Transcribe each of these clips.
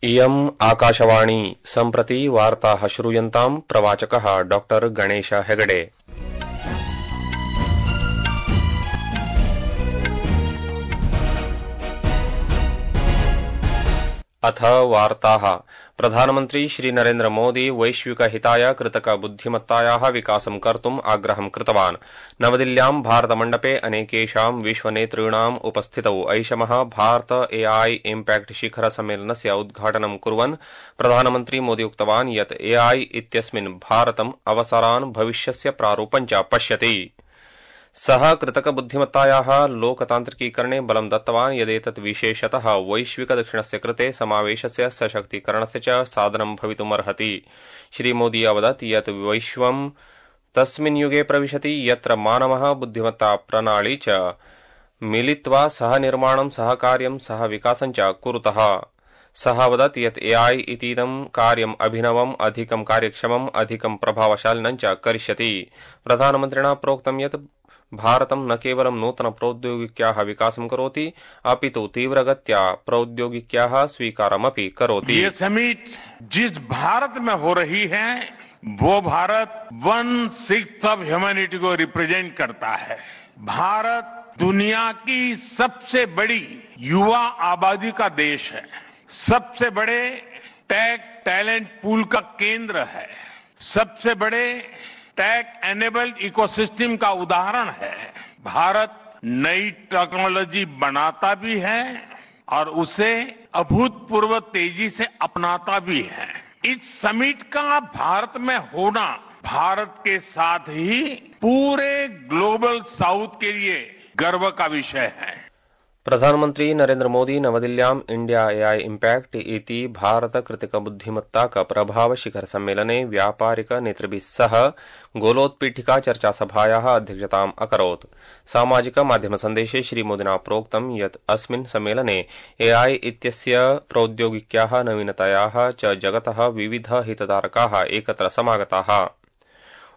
इयम् आकाशवाणी सम्प्रति वार्ताः श्रूयन्ताम् प्रवाचकः डॉ गणेश हेगडे। अथ वार्ताः। प्रधानमन्त्री श्री नरेन्द्र मोदी वैश्विकहिताय कृतकबुद्धिमत्तायाः विकासं कर्तुम् आग्रहं कृतवान्। नवदिल्ल्यां भारतमण्डपे अनेकेषां विश्वनेतॄणाम् उपस्थितौ ऐषमः भारत एआई इम्पैक्ट शिखर सम्मेलनस्य उद्घाटनं कुर्वन् प्रधानमन्त्री मोदी उक्तवान् यत् एआई इत्यस्मिन् भारतम् अवसरान् भविष्यस्य प्रारूपं च पश्यति। सः कृतकबुद्धिमत्तायाः लोकतान्त्रिकीकरणे बलं दत्तवान् यदेतत् विशेषतः वैश्विकदक्षिणस्य कृते समावेशस्य सशक्तीकरणस्य च साधनं भवितुमर्हति। श्रीमोदी अवदत् यत् विश्वं तस्मिन् युगे प्रविशति यत्र मानवः बुद्धिमत्ता प्रणाली च मिलित्वा सह निर्माणं सहकार्यं सह विकासं च कुरुतः। सः अवदत् यत् एआई इतीदं कार्यम् अभिनवम् अधिकं कार्यक्षमम् अधिकं प्रभावशालिनं च करिष्यति। प्रधानमन्त्रिणा प्रोक्तं यत् भारतं न केवलं नूतन प्रौद्योगिक्याः विकासं करोति अपितु तीव्रगत्या प्रौद्योगिक्याः स्वीकारमपि करोति। ये समिट जिस भारत में हो रही है वो भारत 1/6 ऑफ ह्यूमैनिटी को रिप्रेजेंट करता है। भारत दुनिया की सबसे बड़ी युवा आबादी का देश है, सबसे बड़े टेक टैलेंट पूल का केंद्र है, सबसे बड़े टेक एनेबल्ड इकोसिस्टम का उदाहरण है। भारत नई टेक्नोलॉजी बनाता भी है और उसे अभूतपूर्व तेजी से अपनाता भी है। इस समिट का भारत में होना भारत के साथ ही पूरे ग्लोबल साउथ के लिए गर्व का विषय है। प्रधानमन्त्री नरेन्द्र मोदी नवदिल्ल्याम् इंडिया एआई इम्पैक्ट इति भारत कृतकबुद्धिमत्ताक प्रभाव शिखर सम्मेलने व्यापारिक नेतृभिः सह गोलोत्पीठिका चर्चासभायाः अध्यक्षताम् अकरोत्। सामाजिक माध्यम सन्देशे श्रीमोदिना प्रोक्तं यत् अस्मिन् सम्मेलने एआई इत्यस्य प्रौद्योगिक्याः नवीनतायाः च जगतः विविध हितधारकाः एकत्र समागताः।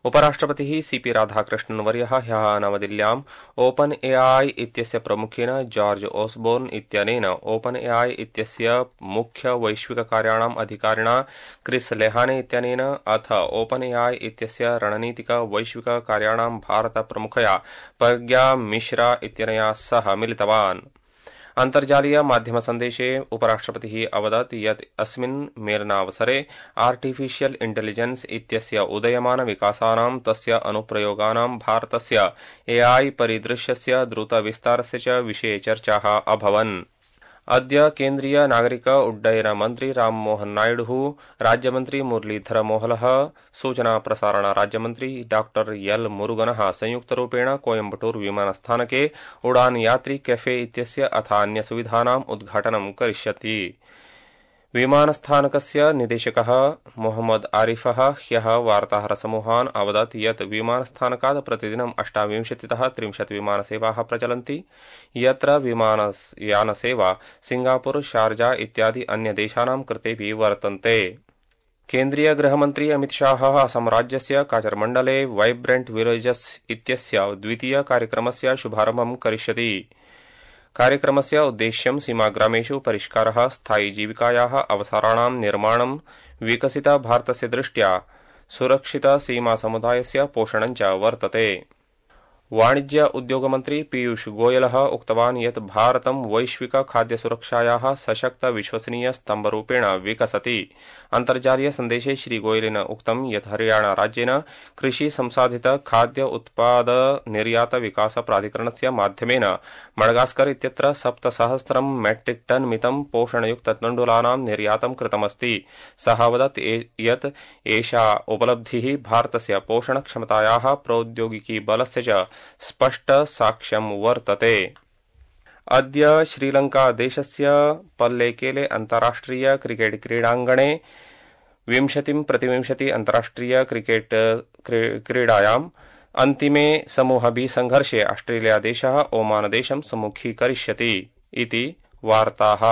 उपराष्ट्रपतिः सीपी राधाकृष्णन्वर्यः ह्यः नवदिल्ल्याम् ओपन एआई इत्यस्य प्रमुखेन जॉर्ज ओसबोर्न इत्यनेन ओपन एआई इत्यस्य मुख्य वैश्विककार्याणाम् अधिकारिणा क्रिस लेहाने इत्यनेन अथ ओपन एआई इत्यस्य रणनीतिक वैश्विककार्याणां भारत प्रमुखया प्रज्ञा मिश्रा इत्यनया सह मिलितवान्। अन्तर्जालीय माध्यम सन्देशे उपराष्ट्रपतिः अवदत् यत् अस्मिन् मेलनावसरे आर्टिफिशियल इंटेलिजेंस इत्यस्य उदयमान विकासानां तस्य अनुप्रयोगानां भारतस्य एआई परिदृश्यस्य द्रुत विस्तारस्य च विषये चर्चाः अभवन्। अद्य केन्द्रीय नागरिक उड्डयन मन्त्री राममोहन नायडुः, राज्यमन्त्री मुरलीधर मोहलः, सूचना प्रसारण राज्यमन्त्री डॉ एल मुरुगनः संयुक्तरूपेण कोयम्बटूर विमानस्थानके उड़ान यात्री कैफे इत्यस्य अथ अन्यसुविधानाम् उद्घाटनं करिष्यति। विमानस्थानकस्य निदेशकः मोहम्मद आरिफः ह्यः वार्ताहरसमूहान् अवदत् यत् विमानस्थानकात् प्रतिदिनं 28तः 30 विमानसेवाः प्रचलन्ति, यत्र विमानयानसेवा सिंगापुर, शारजा इत्यादि अन्यदेशानां कृतेऽपि वर्तन्ते। केन्द्रीय गृहमन्त्री अमित शाहः असम राज्यस्य काचरमण्डले वाइब्रेंट विलेजेस इत्यस्य द्वितीय कार्यक्रमस्य शुभारम्भं करिष्यति। कार्यक्रमस्य उद्देश्यं सीमाग्रामेषु परिष्कारः, स्थायी जीविकायाः अवसराणां निर्माणं, विकसित भारतस्य दृष्ट्या सुरक्षित सीमा समुदायस्य पोषणं च वर्तते। वाणिज्य उद्योगमन्त्री पीयूष गोयलः उक्तवान् यत् भारतं वैश्विक खाद्य सुरक्षायाः सशक्त विश्वसनीय स्तम्भरूपेण विकसति। अन्तर्जालीय सन्देशे श्रीगोयलेन उक्तं यत् हरियाणा राज्येन कृषि संसाधित खाद्य उत्पाद निर्यात विकास प्राधिकरणस्य माध्यमेन मडगास्कर इत्यत्र 7,000 मेट्रिक टन मितं पोषणयुक्त तण्डुलानां निर्यातं कृतमस्ति। सः अवदत् यत् एषा उपलब्धिः भारतस्य पोषणक्षमतायाः प्रौद्योगिकी बलस्य च स्पष्ट साक्ष्यं वर्तते। अद्य श्रीलंका देशस्य पल्लेकेले अन्ताराष्ट्रिय क्रिकेट क्रीडाङ्गणे 20-20 अन्ताराष्ट्रिय क्रिकेट क्रीडायाम् अन्तिमे समूह बी संघर्षे ऑस्ट्रेलिया देशः ओमान देशं सम्मुखीकरिष्यति इति वार्ताः।